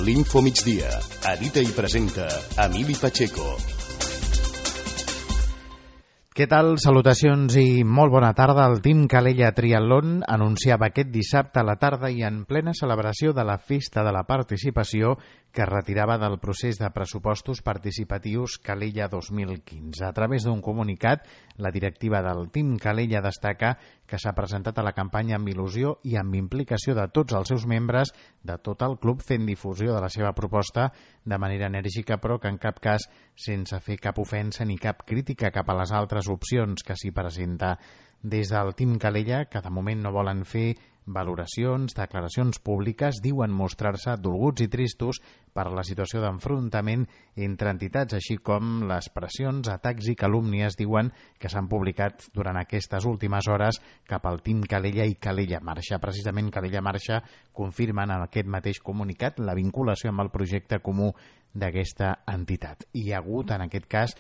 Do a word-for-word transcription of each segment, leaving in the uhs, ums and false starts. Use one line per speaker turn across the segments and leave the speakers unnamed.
l'Info Migdia. Edita i presenta Emili Pacheco.
Què tal? Salutacions i molt bona tarda. El Team Calella Triatlon anunciava aquest dissabte a la tarda i en plena celebració de la Festa de la Participació que es retirava del procés de pressupostos participatius Calella dos mil quinze. A través d'un comunicat, la directiva del Team Calella destaca que s'ha presentat a la campanya amb il·lusió i amb implicació de tots els seus membres, de tot el club, fent difusió de la seva proposta de manera enèrgica, però que en cap cas sense fer cap ofensa ni cap crítica cap a les altres opcions que s'hi presenta. Des del Team Calella, que de moment no volen fer valoracions, declaracions públiques, diuen mostrar-se dolguts i tristos per la situació d'enfrontament entre entitats, així com les pressions, atacs i calúmnies, diuen, que s'han publicat durant aquestes últimes hores cap al Team Calella i Calella Marxa. Precisament Calella Marxa confirmen en aquest mateix comunicat la vinculació amb el projecte comú d'aquesta entitat. Hi ha hagut, en aquest cas,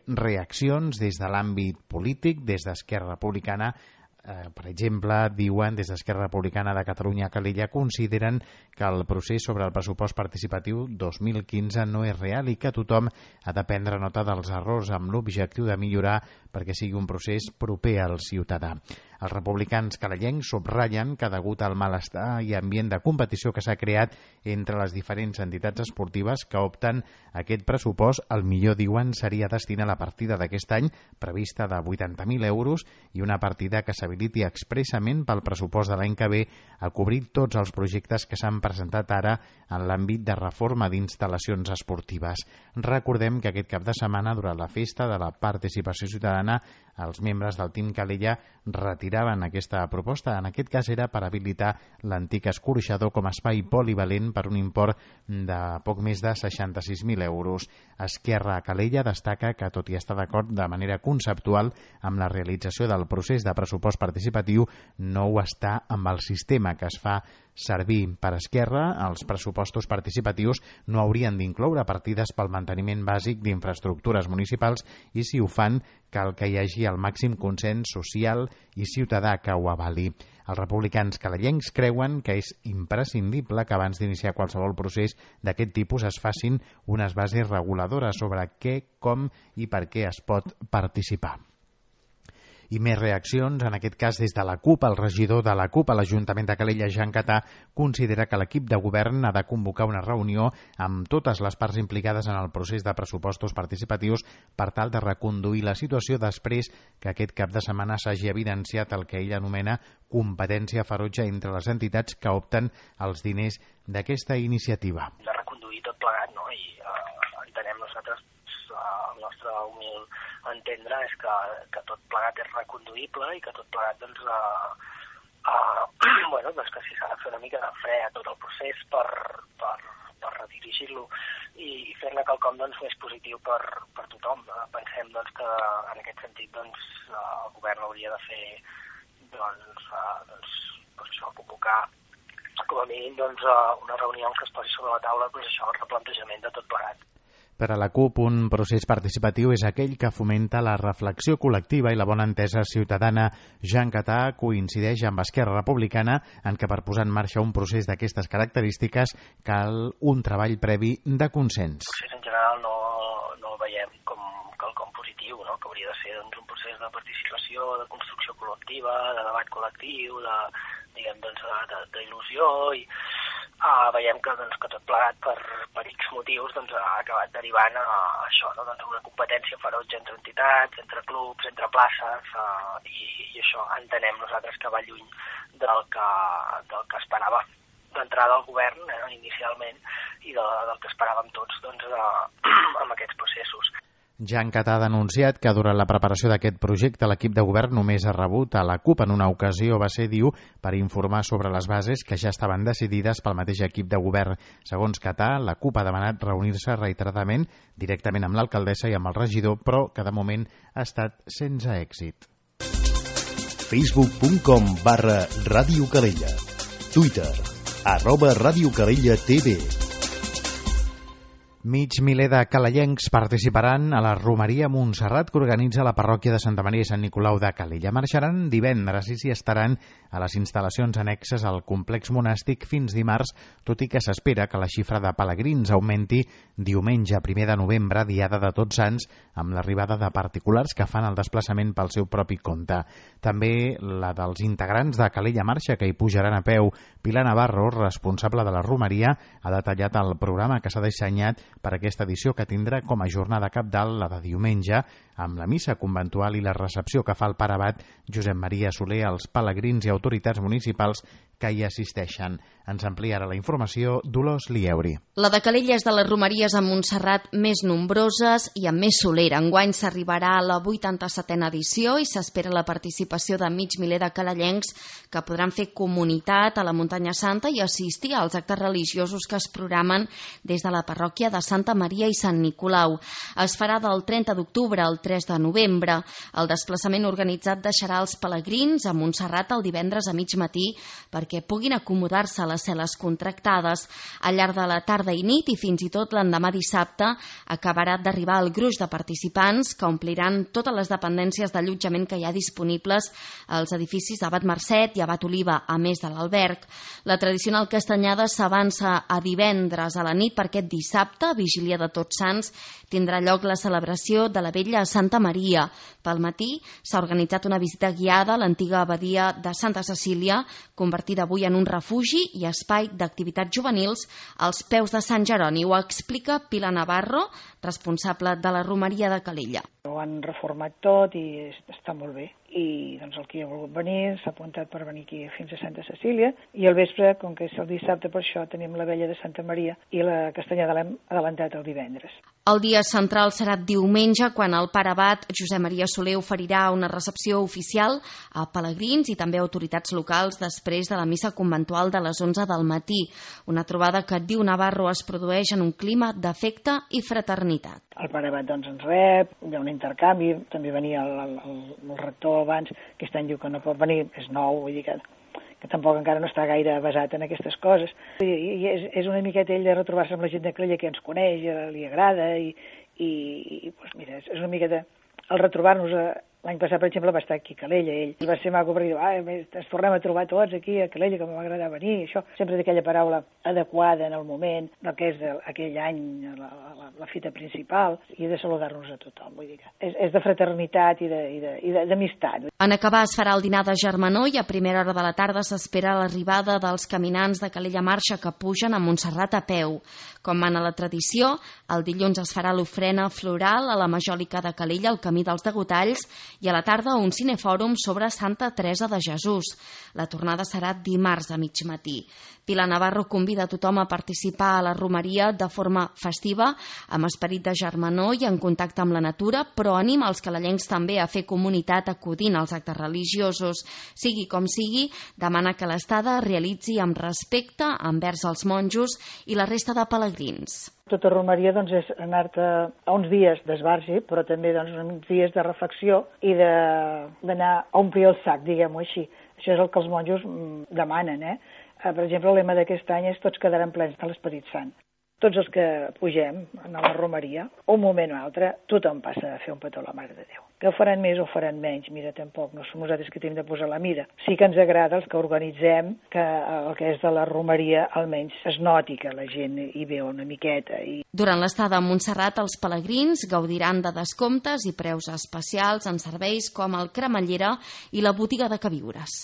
reaccions des de l'àmbit polític, des d'Esquerra Republicana. Eh, per exemple, diuen des d'Esquerra Republicana de Catalunya Calella consideren que el procés sobre el pressupost participatiu dos mil quinze no és real i que tothom ha de prendre nota dels errors amb l'objectiu de millorar perquè sigui un procés proper al ciutadà. Els republicans calellencs subratllen que degut al malestar i ambient de competició que s'ha creat entre les diferents entitats esportives que opten a aquest pressupost, el millor, diuen, seria destinar la partida d'aquest any prevista de vuitanta mil euros i una partida que s'habiliti expressament pel pressupost de l'any que ve a cobrir tots els projectes que s'han presentat ara en l'àmbit de reforma d'instal·lacions esportives. Recordem que aquest cap de setmana, durant la Festa de la Participació Ciutadana, els membres del Team Calella retiraven aquesta proposta. En aquest cas era per habilitar l'antic escorxador com a espai polivalent per un import de poc més de seixanta-sis mil euros. Esquerra Calella destaca que, tot i estar d'acord de manera conceptual amb la realització del procés de pressupost participatiu, no ho està amb el sistema que es fa servir. Per Esquerra, els pressupostos participatius no haurien d'incloure partides pel manteniment bàsic d'infraestructures municipals i, si ho fan, cal que hi hagi el màxim consens social i ciutadà que ho avali. Els republicans calellencs creuen que és imprescindible que abans d'iniciar qualsevol procés d'aquest tipus es facin unes bases reguladores sobre què, com i per què es pot participar. I més reaccions, en aquest cas des de la CUP. El regidor de la CUP a l'Ajuntament de Calella, Jean Catà, considera que l'equip de govern ha de convocar una reunió amb totes les parts implicades en el procés de pressupostos participatius per tal de reconduir la situació després que aquest cap de setmana s'hagi evidenciat el que ell anomena competència ferotge entre les entitats que opten els diners d'aquesta iniciativa.
De reconduir tot plegat, no? I uh, entenem nosaltres, uh, el nostre humil entendre és que, que tot plegat és reconduïble i que tot plegat, doncs, uh, uh, bueno, doncs que si s'ha de fer una mica de fre a tot el procés per, per, per redirigir-lo i, i fer-ne quelcom, doncs, més positiu per, per tothom. Uh, pensem, doncs, que en aquest sentit, doncs, uh, el govern hauria de fer, doncs, uh, doncs, doncs això, convocar com a mínim, doncs, uh, una reunió en què es posi sobre la taula, doncs, això, el replantejament de tot plegat.
Per a la CUP, un procés participatiu és aquell que fomenta la reflexió col·lectiva i la bona entesa ciutadana. Jean Catà coincideix amb Esquerra Republicana en que per posar en marxa un procés d'aquestes característiques cal un treball previ de consens.
El procés en general no, no el veiem com quelcom positiu, no? Que hauria de ser, doncs, un procés de participació, de construcció col·lectiva, de debat col·lectiu, de, diguem, doncs, de, d'il·lusió i Uh, veiem que, doncs, que tot plegat per, per X motius, doncs, ha acabat derivant a, a això, no? Doncs, una competència ferotge entre entitats, entre clubs, entre places, uh, i, i això entenem nosaltres que va lluny del que, del que esperava d'entrada al govern, eh, inicialment, i de, del que esperàvem tots, doncs, uh, amb aquests processos.
Jean Catà ha denunciat que durant la preparació d'aquest projecte l'equip de govern només ha rebut a la CUP en una ocasió, va ser, diu, per informar sobre les bases que ja estaven decidides pel mateix equip de govern. Segons Catà, la CUP ha demanat reunir-se reiteradament directament amb l'alcaldessa i amb el regidor, però que de moment ha estat sense èxit.
facebook punt com barra Ràdio Calella. Twitter, arroba Ràdio Calella T V.
Mig miler de calellencs participaran a la Romeria Montserrat que organitza la parròquia de Santa Maria i Sant Nicolau de Calella. Marxaran divendres i s'hi estaran a les instal·lacions annexes al complex monàstic fins dimarts, tot i que s'espera que la xifra de pelegrins augmenti diumenge, primer de novembre, diada de Tots Sants, amb l'arribada de particulars que fan el desplaçament pel seu propi compte. També la dels integrants de Calella Marxa, que hi pujaran a peu. Pilar Navarro, responsable de la Romeria, ha detallat el programa que s'ha dissenyat per aquesta edició, que tindrà com a jornada cabdal la de diumenge, amb la missa conventual i la recepció que fa el pare abat Josep Maria Soler als pelegrins i autoritats municipals que hi assisteixen. Ens ampliarà la informació Dolors Lieuri.
La de Calella és de les romeries a Montserrat més nombroses i amb més solera. Enguany s'arribarà a la vuitanta-setena edició i s'espera la participació de mig miler de calellencs que podran fer comunitat a la Muntanya Santa i assistir als actes religiosos que es programen des de la parròquia de Santa Maria i Sant Nicolau. Es farà del trenta d'octubre al tres de novembre. El desplaçament organitzat deixarà els pelegrins a Montserrat el divendres a mig matí perquè puguin acomodar-se a les cel·les contractades. Al llarg de la tarda i nit i fins i tot l'endemà dissabte acabarà d'arribar el gruix de participants que ompliran totes les dependències d'allotjament que hi ha disponibles als edificis Abat Marcet i Abat Oliva, a més de l'alberg. La tradicional castanyada s'avança a divendres a la nit per aquest dissabte, vigília de Tots Sants, tindrà lloc la celebració de la Vella a Santa Maria. Pel matí s'ha organitzat una visita guiada a l'antiga abadia de Santa Cecília, convertida avui en un refugi i espai d'activitats juvenils als peus de Sant Jeroni. Ho explica Pilar Navarro, responsable de la Romeria de Calella.
Ho han reformat tot i està molt bé. I doncs el que ha volgut venir s'ha apuntat per venir aquí fins a Santa Cecília i al vespre, com que és el dissabte, per això tenim la Vella de Santa Maria i la castanyada l'hem adelantat el divendres.
El dia central serà diumenge, quan el pare abat Josep Maria Soler oferirà una recepció oficial a pelegrins i també a autoritats locals després de la missa conventual de les onze del matí. Una trobada que, diu Navarro, es produeix en un clima d'afecte i fraternitat.
El pare abat doncs, ens rep, hi ha un intercanvi, també venia el, el, el rector abans, aquest any diu que no pot venir, és nou, vull dir que, que tampoc encara no està gaire basat en aquestes coses. I, i és, és una miqueta ell de retrobar-se amb la gent de Calella que ens coneix, li agrada, i, i, i doncs mira, és una miqueta el retrobar-nos. A, L'any passat, per exemple, va estar aquí a Calella, ell. I va ser maco perquè diu, ah, ens tornem a trobar tots aquí a Calella, que m'ha agradat venir. Això sempre d'aquella paraula adequada en el moment, del que és aquell any, la, la, la fita principal, i de saludar-nos a tothom. Vull dir que és, és de fraternitat i d'amistat.
En acabar es farà el dinar de germanor i a primera hora de la tarda s'espera l'arribada dels caminants de Calella Marxa que pugen a Montserrat a peu. Com mana la tradició, el dilluns es farà l'ofrena floral a la Majòlica de Calella, al camí dels Degotalls, i a la tarda un cinefòrum sobre Santa Teresa de Jesús. La tornada serà dimarts a mig matí. Pilar Navarro convida a tothom a participar a la romeria de forma festiva, amb esperit de germanor i en contacte amb la natura, però anima els calellencs també a fer comunitat acudint als actes religiosos. Sigui com sigui, demana que l'estada es realitzi amb respecte envers els monjos i la resta de pelegrins.
Tota romeria doncs, és anar-te a uns dies d'esbargi, però també doncs, uns dies de reflexió i d'anar a omplir el sac, diguem-ho així. Això és el que els monjos demanen. Eh? Per exemple, el lema d'aquest any és tots quedaran plens de l'Esperit Sant. Tots els que pugem a la romeria, un moment o altre, tothom passa a fer un petó a la Mare de Déu. Que ho faran més o faran menys, mira, tampoc, no som nosaltres que tenim de posar la mira. Sí que ens agrada els que organitzem que el que és de la romeria almenys es noti que la gent hi veu una miqueta. I...
Durant l'estada a Montserrat, els pelegrins gaudiran de descomptes i preus especials en serveis com el Cremallera i la botiga de queviures.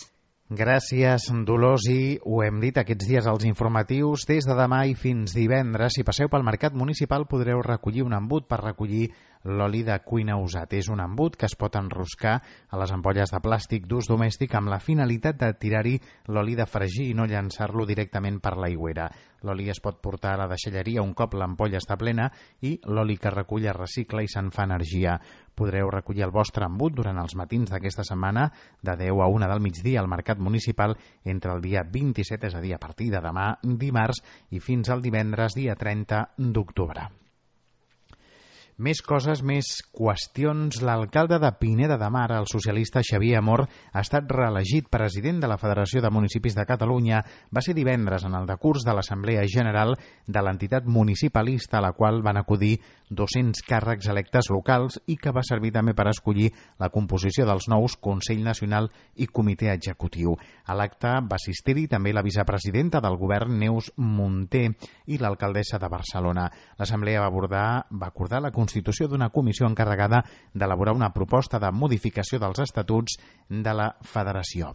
Gràcies, Dolors, i ho hem dit aquests dies als informatius, des de demà i fins divendres, si passeu pel mercat municipal podreu recollir un embut per recollir l'oli de cuina usat. És un embut que es pot enroscar a les ampolles de plàstic d'ús domèstic amb la finalitat de tirar-hi l'oli de fregir i no llançar-lo directament per l'aigüera. L'oli es pot portar a la deixalleria un cop l'ampolla està plena i l'oli que recull es recicla i se'n fa energia. Podreu recollir el vostre embut durant els matins d'aquesta setmana de deu a una del migdia al mercat municipal entre el dia vint-i-set, és a dir, a partir de demà dimarts, i fins al divendres, dia trenta d'octubre. Més coses, més qüestions. L'alcalde de Pineda de Mar, el socialista Xavier Amor, ha estat reelegit president de la Federació de Municipis de Catalunya. Va ser divendres en el decurs de l'Assemblea General de l'entitat municipalista, a la qual van acudir dos-cents càrrecs electes locals i que va servir també per escollir la composició dels nous Consell Nacional i Comitè Executiu. A l'acte va assistir-hi també la vicepresidenta del govern, Neus Munté, i l'alcaldessa de Barcelona. L'Assemblea va abordar, va acordar la constitució d'una comissió encarregada d'elaborar una proposta de modificació dels estatuts de la Federació.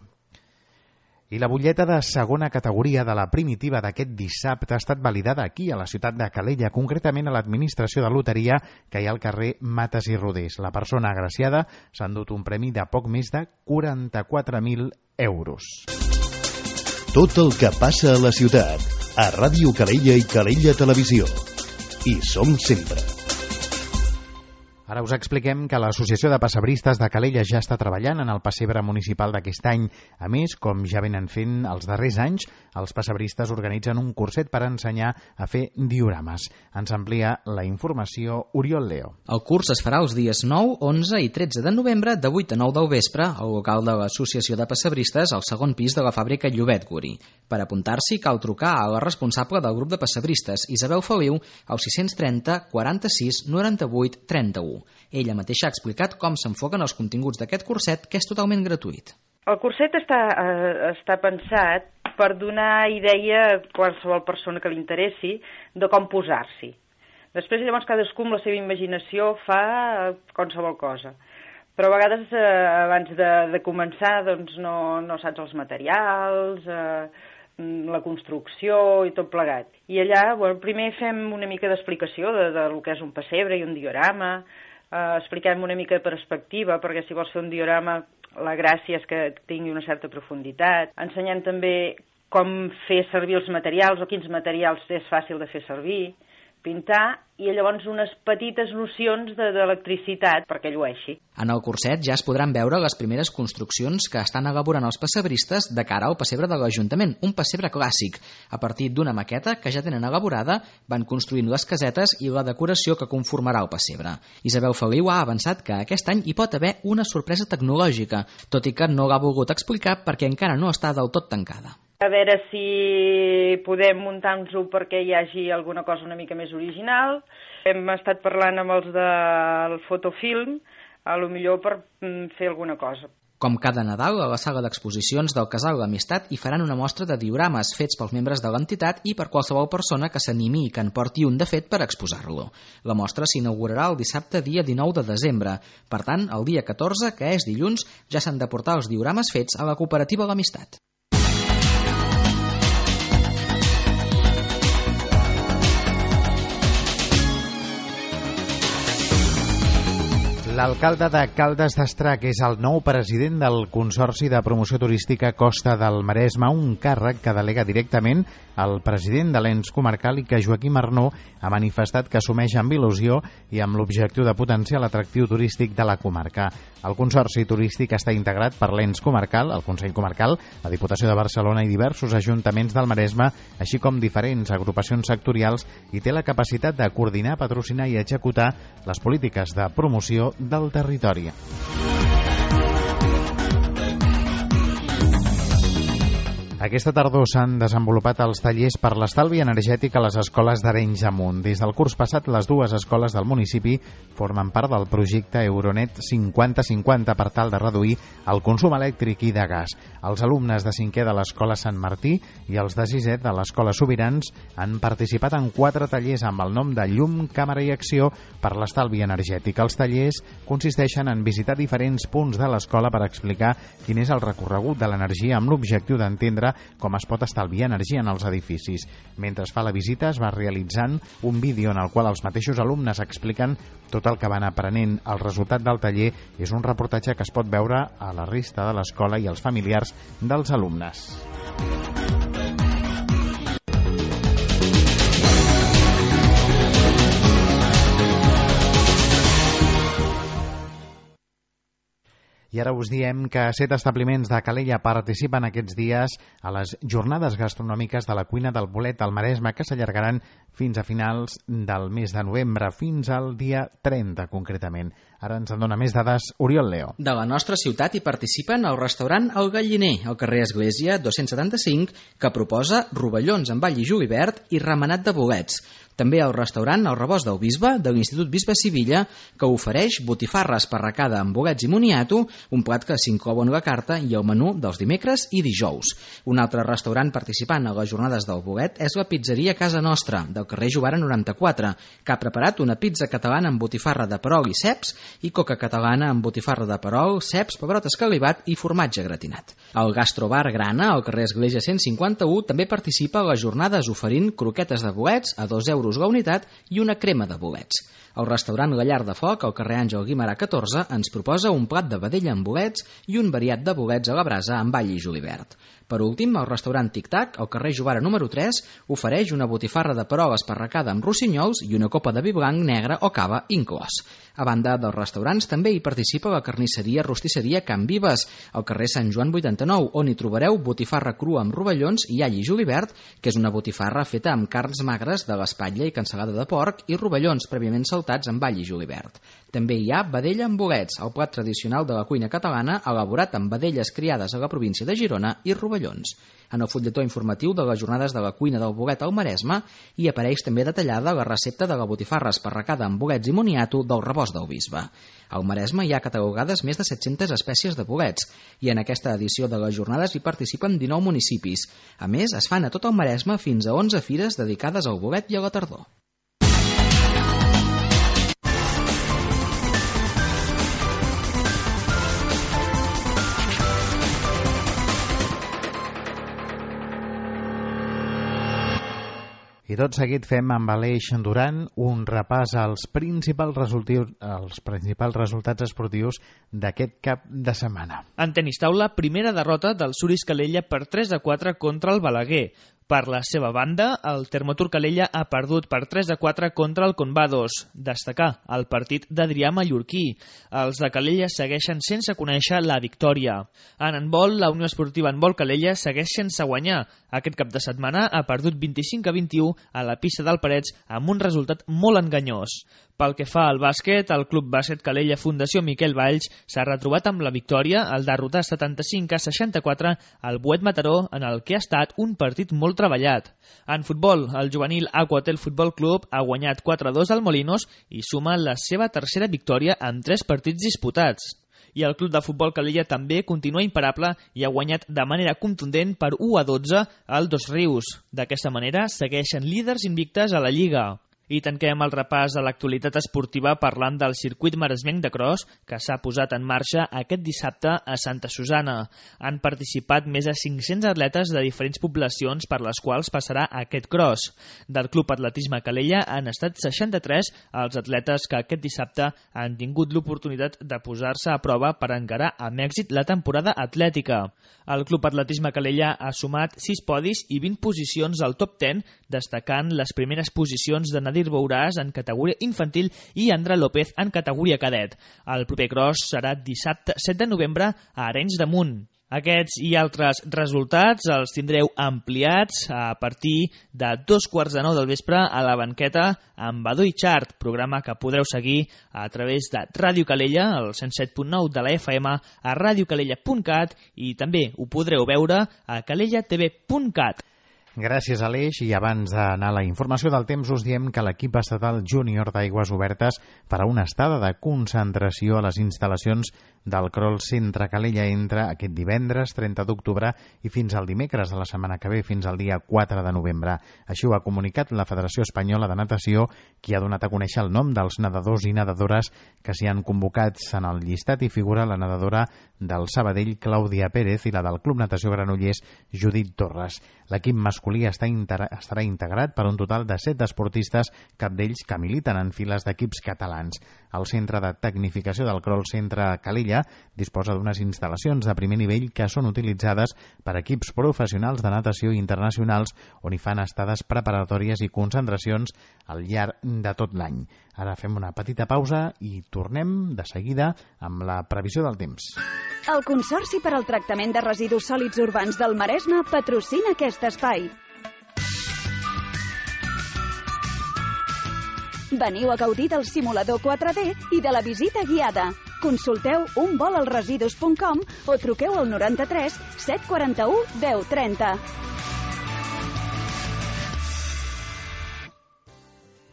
I la butlleta de segona categoria de la primitiva d'aquest dissabte ha estat validada aquí, a la ciutat de Calella, concretament a l'administració de loteria que hi ha al carrer Mates i Rodés. La persona agraciada s'ha endut un premi de poc més de quaranta-quatre mil euros.
Tot el que passa a la ciutat, a Ràdio Calella i Calella Televisió. Hi som sempre.
Ara us expliquem que l'Associació de Pessebristes de Calella ja està treballant en el pessebre municipal d'aquest any. A més, com ja venen fent els darrers anys, els pessebristes organitzen un curset per ensenyar a fer diorames. Ens amplia la informació Oriol Leo.
El curs es farà els dies nou, onze i tretze de novembre de vuit a nou del vespre al local de l'Associació de Pessebristes al segon pis de la fàbrica Llobet Guri. Per apuntar-s'hi cal trucar a la responsable del grup de pessebristes, Isabel Feliu, al sis trenta quaranta-sis noranta-vuit trenta-u. Ella mateixa ha explicat com s'enfoquen els continguts d'aquest curset, que és totalment gratuït.
El curset està, eh, està pensat per donar idea a qualsevol persona que li interessi de com posar-s'hi. Després, llavors, cadascú amb la seva imaginació fa qualsevol cosa. Però a vegades, eh, abans de, de començar, doncs no, no saps els materials, eh, la construcció i tot plegat. I allà, bueno, primer fem una mica d'explicació de, de lo que és un pessebre i un diorama, Uh, expliquem una mica de perspectiva, perquè si vols fer un diorama la gràcia és que tingui una certa profunditat. Ensenyem també com fer servir els materials o quins materials és fàcil de fer servir, pintar, i llavors unes petites nocions d'electricitat de, perquè llueixi.
En el curset ja es podran veure les primeres construccions que estan elaborant els pessebristes de cara al pessebre de l'Ajuntament, un pessebre clàssic. A partir d'una maqueta que ja tenen elaborada, van construint les casetes i la decoració que conformarà el pessebre. Isabel Feliu ha avançat que aquest any hi pot haver una sorpresa tecnològica, tot i que no l'ha volgut explicar perquè encara no està del tot tancada.
A veure si podem muntar-nos-ho perquè hi hagi alguna cosa una mica més original. Hem estat parlant amb els del fotofilm, a lo millor per fer alguna cosa.
Com cada Nadal, a la sala d'exposicions del Casal l'Amistat hi faran una mostra de diorames fets pels membres de l'entitat i per qualsevol persona que s'animi i que en porti un de fet per exposar-lo. La mostra s'inaugurarà el dissabte dia dinou de desembre. Per tant, el dia catorze, que és dilluns, ja s'han de portar els diorames fets a la cooperativa l'Amistat.
L'alcalde de Caldes d'Estrac és el nou president del Consorci de Promoció Turística Costa del Maresme, un càrrec que delega directament el president de l'ens comarcal i que Joaquim Arnó ha manifestat que assumeix amb il·lusió i amb l'objectiu de potenciar l'atractiu turístic de la comarca. El Consorci Turístic està integrat per l'ens comarcal, el Consell Comarcal, la Diputació de Barcelona i diversos ajuntaments del Maresme, així com diferents agrupacions sectorials, i té la capacitat de coordinar, patrocinar i executar les polítiques de promoció del territori. Aquesta tardor s'han desenvolupat els tallers per l'estalvi energètic a les escoles d'Arenys Amunt. Des del curs passat, les dues escoles del municipi formen part del projecte Euronet cinquanta cinquanta per tal de reduir el consum elèctric i de gas. Els alumnes de cinquè de l'escola Sant Martí i els de sisè de l'escola Sobirans han participat en quatre tallers amb el nom de Llum, Càmera i Acció per l'estalvi energètic. Els tallers consisteixen en visitar diferents punts de l'escola per explicar quin és el recorregut de l'energia amb l'objectiu d'entendre com es pot estalviar energia en els edificis. Mentre es fa la visita es va realitzant un vídeo en el qual els mateixos alumnes expliquen tot el que van aprenent. El resultat del taller és un reportatge que es pot veure a la resta de l'escola i als familiars dels alumnes. I I ara us diem que set establiments de Calella participen aquests dies a les jornades gastronòmiques de la cuina del bolet al Maresme, que s'allargaran fins a finals del mes de novembre, fins al dia trenta concretament. Ara ens en dona més dades Oriol Leo.
De la nostra ciutat hi participen el restaurant El Galliner, al carrer Església dos-cents setanta-cinc, que proposa rovellons amb all i julivert i remenat de bolets. També el restaurant El Rebost del Bisbe, de l'Institut Bisbe Sivilla, que ofereix botifarra esparracada amb bolets i moniato, un plat que s'inclou en la carta i el menú dels dimecres i dijous. Un altre restaurant participant a les jornades del bolet és la pizzeria Casa Nostra, del carrer Jovara noranta-quatre, que ha preparat una pizza catalana amb botifarra de perol i ceps i coca catalana amb botifarra de perol, ceps, pebrot escalivat i formatge gratinat. El Gastrobar Grana, al carrer Església cent cinquanta-u, també participa a les jornades oferint croquetes de bolets a dos euros la unitat i una crema de bolets. El restaurant La Llar de Foc, al carrer Àngel Guimerà catorze, ens proposa un plat de vedella amb bolets i un variat de bolets a la brasa amb all i julivert. Per últim, el restaurant Tic Tac, al carrer Jovara número tres, ofereix una botifarra de perol esparracada amb rossinyols i una copa de vi blanc, negre o cava inclòs. A banda dels restaurants, també hi participa la carnisseria Rostisseria Can Vives, al carrer Sant Joan vuitanta-nou, on hi trobareu botifarra crua amb rovellons i all i julivert, que és una botifarra feta amb carns magres de l'espatlla i cansalada de porc i rovellons prèviament saltats amb all i julivert. També hi ha vedella amb bolets, el plat tradicional de la cuina catalana elaborat amb vedelles criades a la província de Girona i rovellons. En el fulletó informatiu de les jornades de la cuina del bolet al Maresme hi apareix també detallada la recepta de la botifarra esparracada amb bolets i moniato del Rebost del Bisbe. Al Maresme hi ha catalogades més de set-centes espècies de bolets i en aquesta edició de les jornades hi participen dinou municipis. A més, es fan a tot el Maresme fins a onze fires dedicades al bolet i a la tardor.
I tot seguit fem amb Aleix Duran un repàs als principals, resultius, als principals resultats esportius d'aquest cap de setmana.
En tenis taula, primera derrota del Suris Calella per tres a quatre contra el Balaguer. Per la seva banda, el Termotur Calella ha perdut per tres a quatre contra el Convados. Destacar el partit d'Adrià Mallorquí. Els de Calella segueixen sense conèixer la victòria. En handbol, la Unió Esportiva Handbol Calella segueix sense guanyar. Aquest cap de setmana ha perdut vint-i-cinc a vint-i-u a la pista del Parets amb un resultat molt enganyós. Pel que fa al bàsquet, el Club Bàsquet Calella Fundació Miquel Valls s'ha retrobat amb la victòria al derrotar setanta-cinc a seixanta-quatre al Boet Mataró, en el que ha estat un partit molt treballat. En futbol, el juvenil Aquatel Futbol Club ha guanyat quatre a dos al Molinos i suma la seva tercera victòria en tres partits disputats. I el Club de Futbol Calella també continua imparable i ha guanyat de manera contundent per u a dotze al Dos Rius. D'aquesta manera segueixen líders invictes a la Lliga. I tanquem el repàs de l'actualitat esportiva parlant del circuit maresmenc de cross que s'ha posat en marxa aquest dissabte a Santa Susana. Han participat més de cinc-cents atletes de diferents poblacions per les quals passarà aquest cross. Del Club Atletisme Calella han estat seixanta-tres els atletes que aquest dissabte han tingut l'oportunitat de posar-se a prova per encarar amb èxit la temporada atlètica. El Club Atletisme Calella ha sumat sis podis i vint posicions al top deu, destacant les primeres posicions de Nadir Bouràs en categoria infantil i Andra López en categoria cadet. El proper cross serà dissabte set de novembre a Arenys de Munt. Aquests i altres resultats els tindreu ampliats a partir de dos quarts de nou del vespre a la banqueta amb Badó i Chart, programa que podreu seguir a través de Ràdio Calella, el cent set punt nou de la F M, a radiocalella punt cat i també ho podreu veure a calella t v punt cat.
Gràcies, Aleix. I abans d'anar a la informació del temps, us diem que l'equip estatal júnior d'Aigües Obertes farà una estada de concentració a les instal·lacions del Crol Centre Calella entre aquest divendres trenta d'octubre i fins al dimecres de la setmana que ve, fins al dia quatre de novembre. Així ho ha comunicat la Federació Espanyola de Natació, qui ha donat a conèixer el nom dels nedadors i nedadores que s'hi han convocats. En el llistat hi figura la nedadora del Sabadell, Clàudia Pérez, i la del Club Natació Granollers, Judit Torres. L'equip masculí està inter... estarà integrat per un total de set esportistes, cap d'ells que militen en files d'equips catalans. El Centre de Tecnificació del Crawl Centre Calella disposa d'unes instal·lacions de primer nivell que són utilitzades per equips professionals de natació internacionals on hi fan estades preparatòries i concentracions al llarg de tot l'any. Ara fem una petita pausa i tornem de seguida amb la previsió del temps.
El Consorci per al Tractament de Residus Sòlids Urbans del Maresme patrocina aquest espai. Veniu a gaudir del simulador quatre D i de la visita guiada. Consulteu un vol al residus punt com o truqueu al noranta-tres set quaranta-u deu trenta.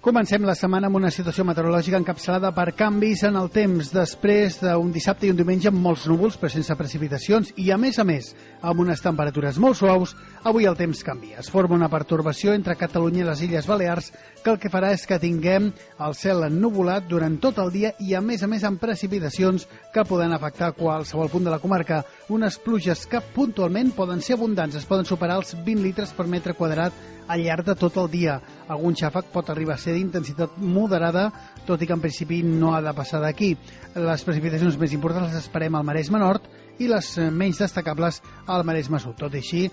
Comencem la setmana amb una situació meteorològica encapçalada per canvis en el temps després d'un dissabte i un diumenge amb molts núvols però sense precipitacions i a més a més amb unes temperatures molt suaus. Avui el temps canvia. Es forma una pertorbació entre Catalunya i les Illes Balears que el que farà és que tinguem el cel ennuvolat durant tot el dia i a més a més amb precipitacions que poden afectar qualsevol punt de la comarca. Unes pluges que puntualment poden ser abundants, es poden superar els vint litres per metre quadrat al llarg de tot el dia. Algun xàfec pot arribar a ser d'intensitat moderada, tot i que en principi no ha de passar d'aquí. Les precipitacions més importants les esperem al Maresme Nord i les menys destacables al Maresme Sud. Tot i així,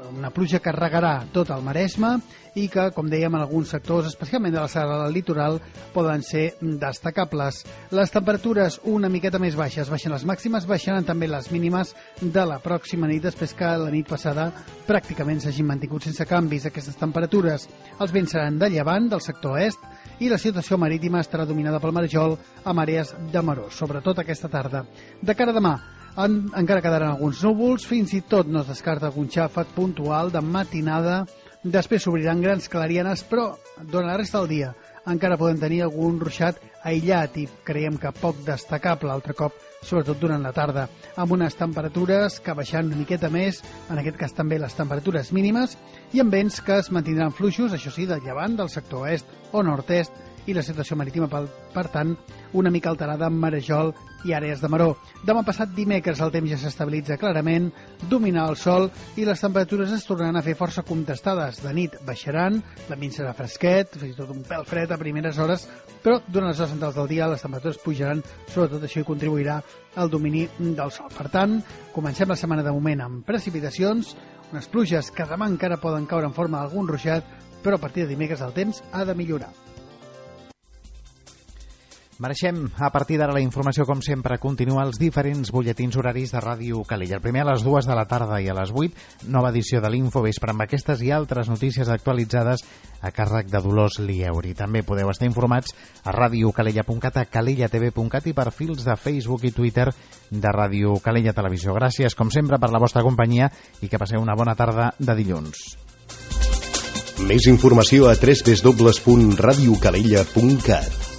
una pluja que regarà tot el Maresme i que, com dèiem, en alguns sectors, especialment de la serra del litoral, poden ser destacables. Les temperatures una miqueta més baixes, baixen les màximes, baixaran també les mínimes de la pròxima nit, després que la nit passada pràcticament s'hagin mantingut sense canvis aquestes temperatures. Els vents seran de llevant, del sector est, i la situació marítima estarà dominada pel marjol amb àrees de maror, sobretot aquesta tarda. De cara a demà, En, encara quedaran alguns núvols, fins i tot no es descarta algun xàfec puntual de matinada, després s'obriran grans clarianes, però durant la resta del dia encara podem tenir algun ruixat aïllat i creiem que poc destacable altre cop, sobretot durant la tarda, amb unes temperatures que baixaran una miqueta més, en aquest cas també les temperatures mínimes, i amb vents que es mantindran fluixos, això sí, del llevant, del sector est o nord-est, i la situació marítima, per, per tant, una mica alterada amb marejol i àrees de maror. Demà passat dimecres el temps ja s'estabilitza clarament, domina el sol i les temperatures es tornaran a fer força contestades. De nit baixaran, l'ambient serà fresquet, fins i tot un pèl fred a primeres hores, però durant les hores centrals del dia les temperatures pujaran, sobretot això hi contribuirà al domini del sol. Per tant, comencem la setmana de moment amb precipitacions, unes pluges que demà encara poden caure en forma d'algun ruixat, però a partir de dimecres el temps ha de millorar.
Mereixem, a partir d'ara, la informació, com sempre, continua als diferents butlletins horaris de Ràdio Calella. El primer a les dues de la tarda i a les vuit, nova edició de l'Infovespre amb aquestes i altres notícies actualitzades a càrrec de Dolors Lieuri. També podeu estar informats a radiocalella punt cat, a calella t v punt cat i perfils de Facebook i Twitter de Ràdio Calella Televisió. Gràcies, com sempre, per la vostra companyia i que passeu una bona tarda de dilluns.
Més informació a w w w punt radiocalella punt cat.